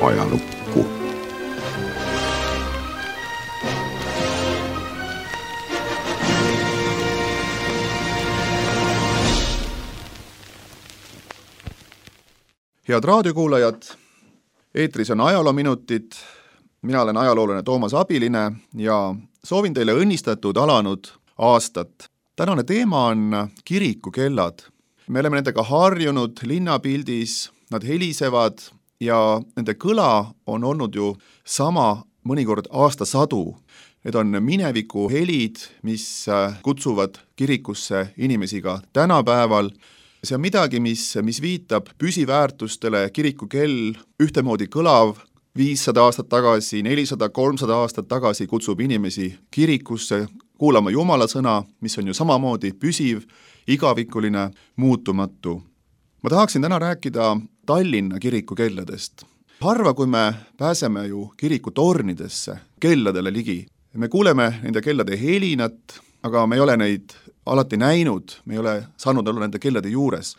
ajalukku. Head raadiokuulajad, eetris on ajaloominutid. Mina olen ajaloolane Toomas Abiline ja soovin teile õnnistatud alanud aastat. Tänane teema on kirikukellad. Me oleme nendega harjunud linnapildis, nad helisevad ja nende kõla on olnud ju sama mõnikord aastasadu. Need on mineviku helid, mis kutsuvad kirikusse inimesi ka tänapäeval. See on midagi, mis viitab püsiväärtustele. Kirikukell ühtemoodi kõlav 500 aastat tagasi, 400, 300 aastat tagasi kutsub inimesi kirikusse kuulama Jumala sõna, mis on ju samamoodi püsiv, igavikuline, muutumatu. Ma tahaksin täna rääkida Tallinna kirikukelladest. Harva, kui me pääseme ju kirikutornidesse, kelladele ligi. Me kuuleme nende kellade helinat, aga me ei ole neid alati näinud, me ei ole saanud olla nende kellade juures.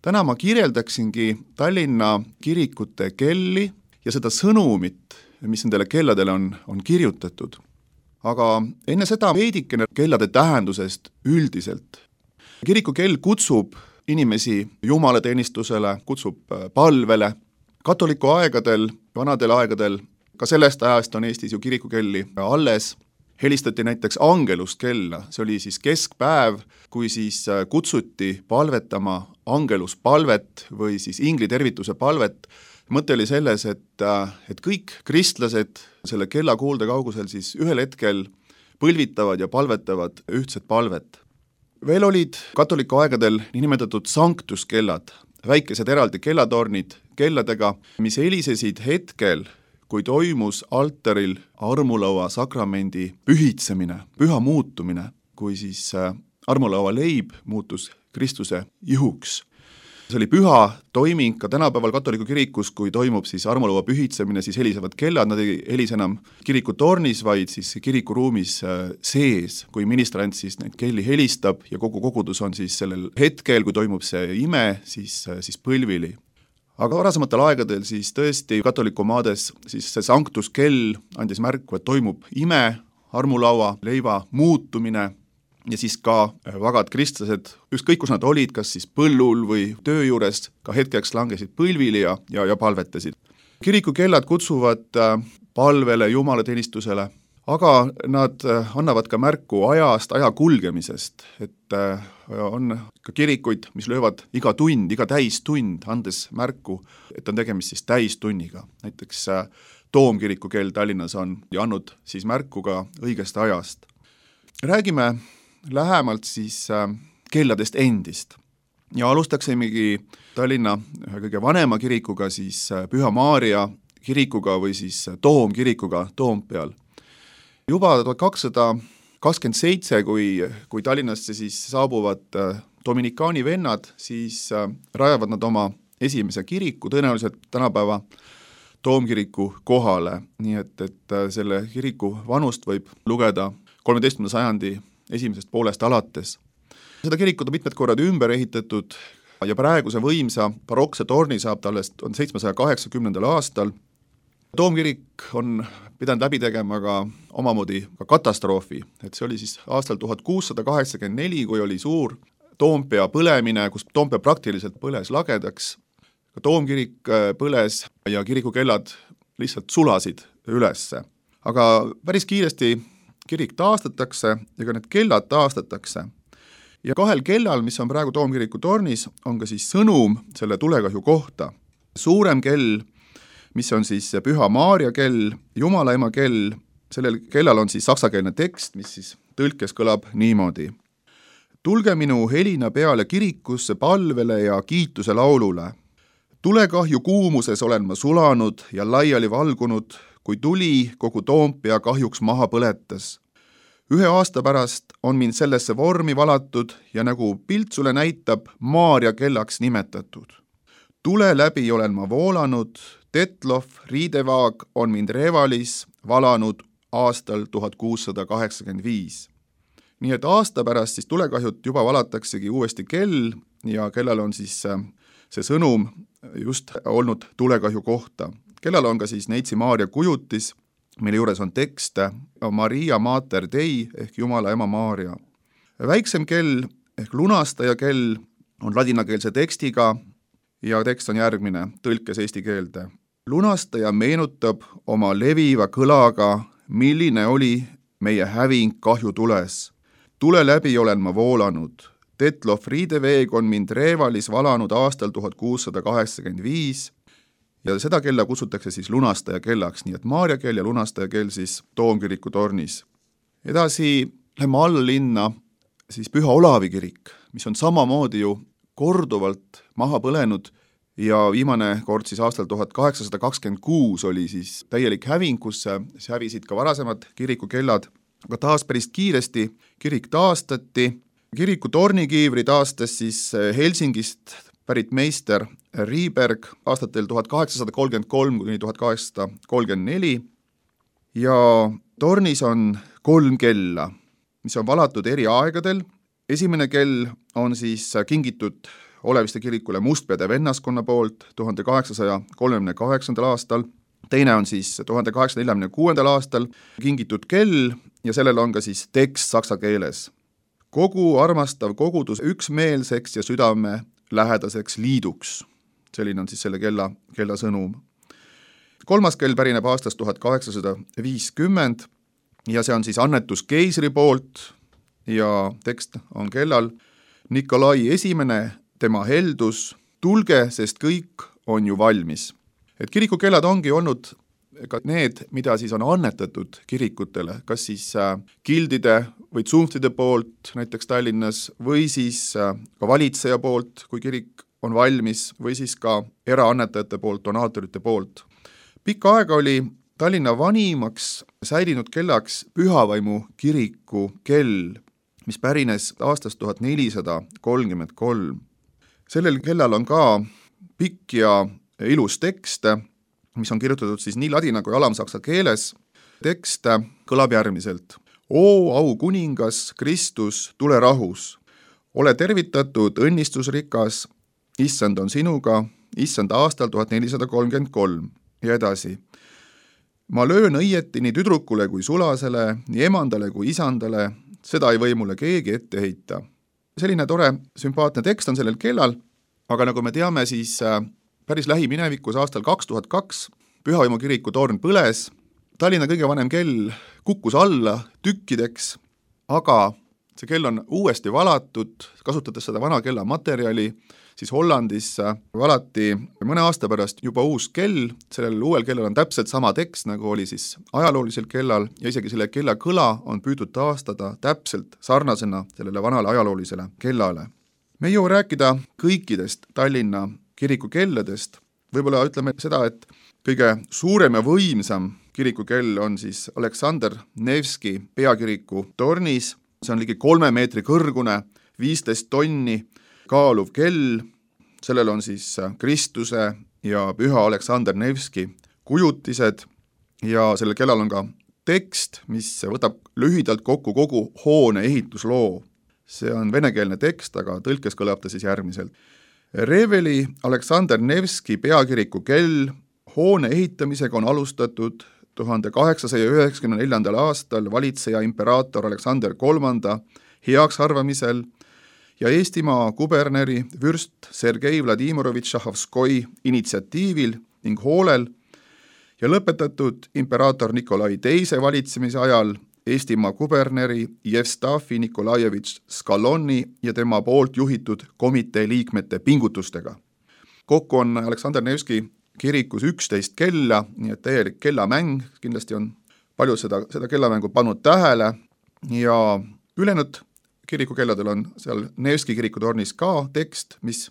Täna ma kirjeldaksingi Tallinna kirikute kelli ja seda sõnumit, mis nendele kelladele on kirjutatud. Aga enne seda veidikene kellade tähendusest üldiselt. Kirikukell kutsub inimesi jumalateenistusele, kutsub palvele. Katoliku aegadel, vanadel aegadel, ka sellest ajast on Eestis ju kirikukelli alles. Helistati näiteks angeluskella, see oli siis keskpäev, kui siis kutsuti palvetama angeluspalvet või siis inglitervituse palvet. Mõte oli selles, et kõik kristlased selle kella kuulde kaugusel siis ühel hetkel põlvitavad ja palvetavad ühtset palvet. Veel olid katoliku aegadel nimetatud sanktuskellad, väikesed eraldi kellatornid kelladega, mis helisesid hetkel, kui toimus altaril armulaua sakramendi pühitsemine, püha muutumine, kui siis armulaua leib muutus Kristuse ihuks. See oli püha toiming ka tänapäeval katoliku kirikus, kui toimub siis armulaua pühitsemine, siis helisevad kellad, nad ei helise enam kirikutornis, vaid siis kirikuruumis sees, kui ministrant siis neid kelli helistab ja kogu kogudus on siis sellel hetkel, kui toimub see ime, siis põlvili. Aga varasematel aegadel siis tõesti katoliku maades siis see sanktuskell andis märku, et toimub ime, armulaua, leiva muutumine ja siis ka vagad kristlased, ükskõik kus nad olid, kas siis põllul või töö juures, ka hetkeks langesid põlvili ja palvetasid. Kirikukellad kutsuvad palvele, jumalateenistusele, aga nad annavad ka märku ajast, aja kulgemisest, et on ka kirikuid, mis löövad iga tund, iga täistund, andes märku, et on tegemist siis täistunniga. Näiteks Toomkirikukell Tallinnas on ja andnud siis märku ka õigest ajast. Räägime lähemalt siis kelladest endist ja alustaksimegi Tallinna ühe kõige vanema kirikuga, siis Püha Maarja kirikuga või siis Toomkirikuga Toompeal. Juba 1227, kui Tallinnasse siis saabuvad dominikaani vennad, siis rajavad nad oma esimese kiriku, tõenäoliselt tänapäeva Toomkiriku kohale. Nii et selle kiriku vanust võib lugeda 13. sajandi esimesest poolest alates. Seda kirikut on mitmed korrad ümber ehitatud ja praeguse võimsa barokse torni saab tallest 780. aastal. Toomkirik on pidanud läbi tegema ka omamoodi ka katastroofi, et see oli siis aastal 1684, kui oli suur Toompea põlemine, kus Toompea praktiliselt põles lagedaks. Toomkirik põles ja kirikukellad lihtsalt sulasid ülesse. Aga päris kiiresti kirik taastatakse ja ka need kellad taastatakse. Ja kahel kellal, mis on praegu Toomkiriku tornis, on ka siis sõnum selle tulekahju kohta. Suurem kell, mis on siis Püha Maarja kell, Jumalaema kell, sellel kellal on siis saksakeelne tekst, mis siis tõlkes kõlab niimoodi. Tulge minu helina peale kirikusse palvele ja kiituse laulule. Tulekahju kuumuses olen ma sulanud ja laiali valgunud, kui tuli kogu Toompea kahjuks maha põletas. 1 aasta pärast on mind sellesse vormi valatud ja nagu piltsule näitab Maarja kellaks nimetatud. Tule läbi olen ma voolanud, Tetlov, riidevaag on mind Revalis valanud aastal 1685. Nii et aasta pärast siis tulekahjut juba valataksegi uuesti kell ja kellal on siis see sõnum just olnud tulekahju kohta. kellal on ka siis Neitsi Maarja kujutis, mille juures on tekst Maria Mater Dei ehk Jumala ema Maarja. Väiksem kell ehk lunastaja kell on ladinakeelse tekstiga ja tekst on järgmine, tõlkes eesti keelde. Lunastaja meenutab oma leviva kõlaga, milline oli meie häving kahjutules. Tule läbi olen ma voolanud. Tetlo Friedeveeg on mind Revalis valanud aastal 1685 ja seda kella kutsutakse siis lunastaja kellaks, nii et Maarja kell ja lunastaja kell siis Toomkiriku tornis. Edasi lähme alla linna siis Püha Olavi kirik, mis on samamoodi ju korduvalt maha põlenud ja viimane kord siis aastal 1826 oli siis täielik häving, kus hävisid ka varasemad kirikukellad, aga taas päris kiiresti kirik taastati. Kiriku tornikiivri taastas siis Helsingist pärit meister Riiberg aastatel 1833 kuni 1834 ja tornis on 3 kella, mis on valatud eri aegadel. Esimene kell on siis kingitud Oleviste kirikule Mustpeade vennaskonna poolt 1838. aastal, teine on siis 1846. aastal kingitud kell ja sellel on ka siis tekst saksa keeles. Kogu armastav kogudus üksmeelseks ja südame lähedaseks liiduks. Selline on siis selle kella sõnum. 3. kell pärineb aastast 1850 ja see on siis annetus keisri poolt ja tekst on kellal Nikolai esimene, tema heldus, tulge, sest kõik on ju valmis. Et kirikukellad ongi olnud ka need, mida siis on annetatud kirikutele, kas siis gildide või tsunftide poolt näiteks Tallinnas või siis ka valitseja poolt, kui kirik on valmis, või siis ka eraannetajate poolt, donaatorite poolt. Pikka aega oli Tallinna vanimaks säilinud kellaks Pühavaimu kiriku kell, mis pärines aastast 1433. Sellel kellal on ka pikk ja ilus tekst, mis on kirjutatud siis nii ladina kui alamsaksa keeles. Tekst kõlab järgmiselt. O au kuningas, Kristus, tule rahus. Ole tervitatud, õnnistusrikas, issand on sinuga, issand aastal 1433 ja edasi. Ma löön õieti nii tüdrukule kui sulasele, nii emandale kui isandale, seda ei või mulle keegi ette heita. Selline tore, sümpaatne tekst on sellel kellal, aga nagu me teame, siis päris lähiminevikus aastal 2002 Pühavaimu kiriku torn põles, Tallinna kõige vanem kell kukkus alla tükkideks, aga see kell on uuesti valatud, kasutades seda vana kella materjali, siis Hollandis valati mõne aasta pärast juba uus kell, sellel uuel kellal on täpselt sama tekst, nagu oli siis ajaloolisel kellal ja isegi selle kella kõla on püüdud taastada täpselt sarnasena sellele vanale ajaloolisele kellale. Me ei jõua rääkida kõikidest Tallinna kirikukelladest, võib-olla ütleme seda, et kõige suurem ja võimsam kirikukell on siis Aleksander Nevski peakiriku tornis, see on ligi 3 meetri kõrgune, 15 tonni kaaluv kell, sellel on siis Kristuse ja Püha Aleksander Nevski kujutised ja sellel kellal on ka tekst, mis võtab lühidalt kokku kogu hoone ehitusloo. See on venekeelne tekst, aga tõlkes kõlab ta siis järgmiselt. Reveli Aleksander Nevski peakiriku kell hoone ehitamisega on alustatud 1894. aastal valitseja imperaator Aleksander III heaks arvamisel ja Eestimaa kuberneri vürst Sergei Vladimirovitš Šahovskoi initsiatiivil ning hoolel ja lõpetatud imperaator Nikolai II valitsemise ajal Eestimaa kuberneri Jevstafi Nikolajevitš Skaloni ja tema poolt juhitud komitee liikmete pingutustega. Kokku on Aleksander Nevski kirikus 11 kella, nii et täielik kellamäng, kindlasti on palju seda kellamängu pannud tähele ja ülejäänud kirikukelladel on seal Nevski kirikutornis ka tekst, mis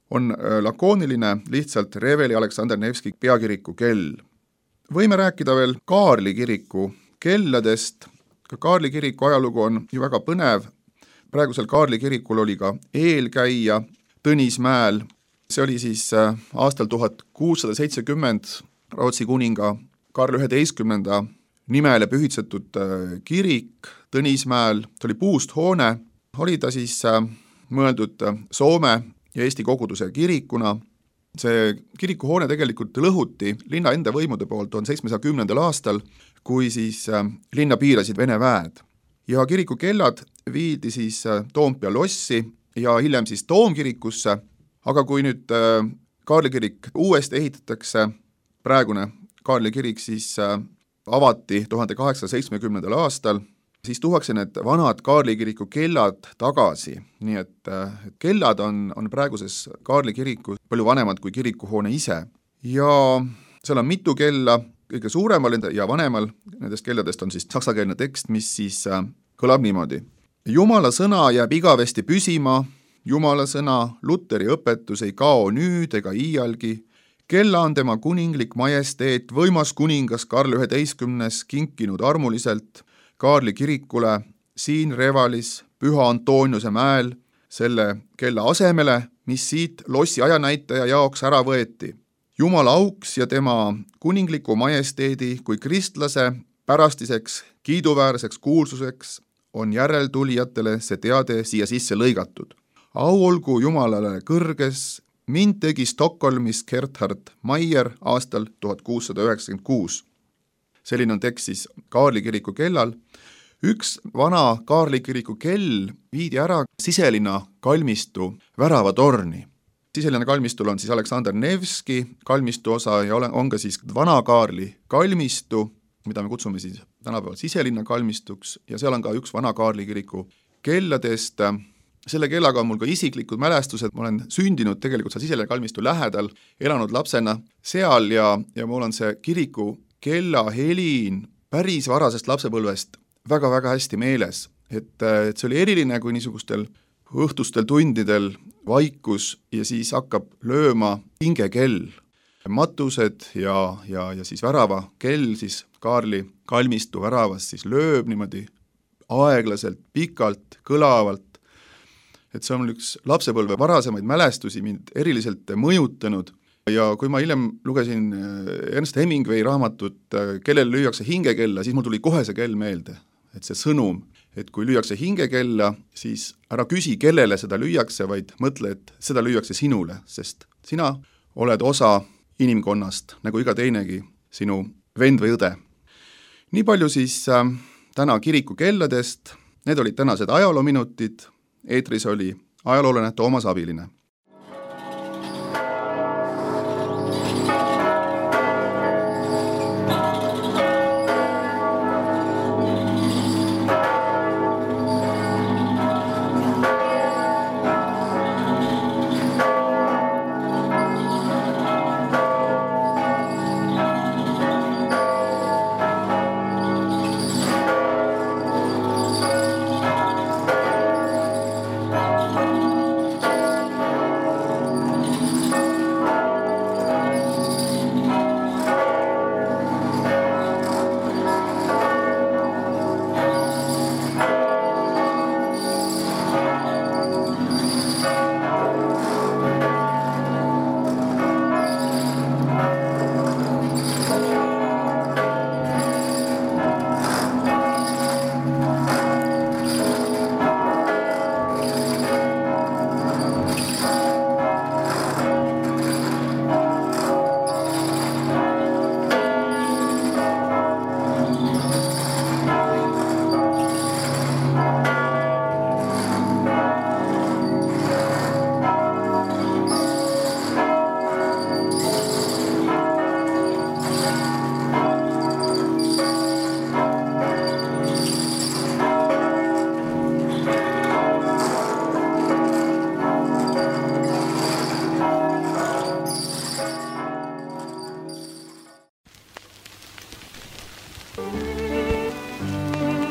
on lakooniline, lihtsalt Reveli Aleksander Nevski peakiriku kell. Võime rääkida veel Kaarli kiriku kelladest, ka Kaarli kiriku ajalugu on ju väga põnev, praegusel Kaarli kirikul oli ka eelkäija Tõnismäel, see oli siis aastal 1670 Rootsi kuninga Karl 11. nimele pühitsetud kirik Tõnismäel, see oli puust hoone, oli ta siis mõeldud Soome ja Eesti koguduse kirikuna See kirikuhoone tegelikult lõhuti linna enda võimude poolt 1710. aastal, kui siis linna piirasid Vene väed. Ja kiriku kellad viidi siis Toompea lossi ja hiljem siis Toomkirikusse, aga kui nüüd Kaarli kirik uuesti ehitatakse, praegune Kaarli kirik siis avati 1870. aastal, siis tuuakse need vanad Kaarli kiriku kellad tagasi, nii et kellad on praeguses Kaarli kirikus palju vanemad kui kirikuhoone ise. Ja seal on mitu kella, kõige suuremal ja vanemal nendest kelladest on siis saksakeelne tekst, mis siis kõlab niimoodi. Jumala sõna jääb igavesti püsima, Jumala sõna, Luteri õpetus ei kao nüüd ega iialgi, kella on tema kuninglik majesteet, võimas kuningas Karl 11. kinkinud armuliselt Kaarli kirikule siin Revalis Püha Antoniuse mäel selle kella asemele, mis siit lossi ajanäitaja jaoks ära võeti. Jumala auks ja tema kuningliku majesteedi kui kristlase pärastiseks kiiduväärseks kuulsuseks on järeltulijatele see teade siia sisse lõigatud. Au olgu Jumalale kõrges, mind tegi Stockholmis Gerhard Maier aastal 1696. Selline on tekst siis Kaarli kiriku kellal. Üks vana Kaarli kiriku kell viidi ära siselinna kalmistu väravatorni. Siselinna kalmistul on siis Aleksander Nevski kalmistu osa ja on ka siis vana Kaarli kalmistu, mida me kutsume siis tänapäeval siselinna kalmistuks, ja seal on ka üks vana Kaarli kiriku kelladest. Selle kellaga on mul ka isiklikud mälestused, ma olen sündinud tegelikult seal siselinna kalmistu lähedal, elanud lapsena seal ja mul on see kiriku kella helin päris varasest lapsepõlvest väga-väga hästi meeles, et see oli eriline, kui niisugustel õhtustel tundidel vaikus ja siis hakkab lööma hingekell. Matused ja siis värava kell siis Kaarli kalmistu väravas siis lööb niimoodi aeglaselt, pikalt, kõlavalt. Et see on üks lapsepõlve varasemaid mälestusi mind eriliselt mõjutanud ja kui ma hiljem lugesin Ernst Hemingway raamatut Kellel lüüakse hingekella, siis mul tuli kohe see kell meelde, et see sõnum, et kui lüüakse hingekella, siis ära küsi, kellele seda lüüakse, vaid mõtle, et seda lüüakse sinule, sest sina oled osa inimkonnast, nagu iga teinegi sinu vend või õde. Nii palju siis täna kiriku kelladest, need olid tänased ajaloominutid, eetris oli ajaloolane Toomas Abiline.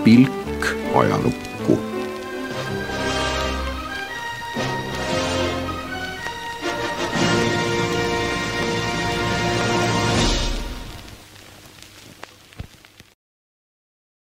Pilk ajalukku.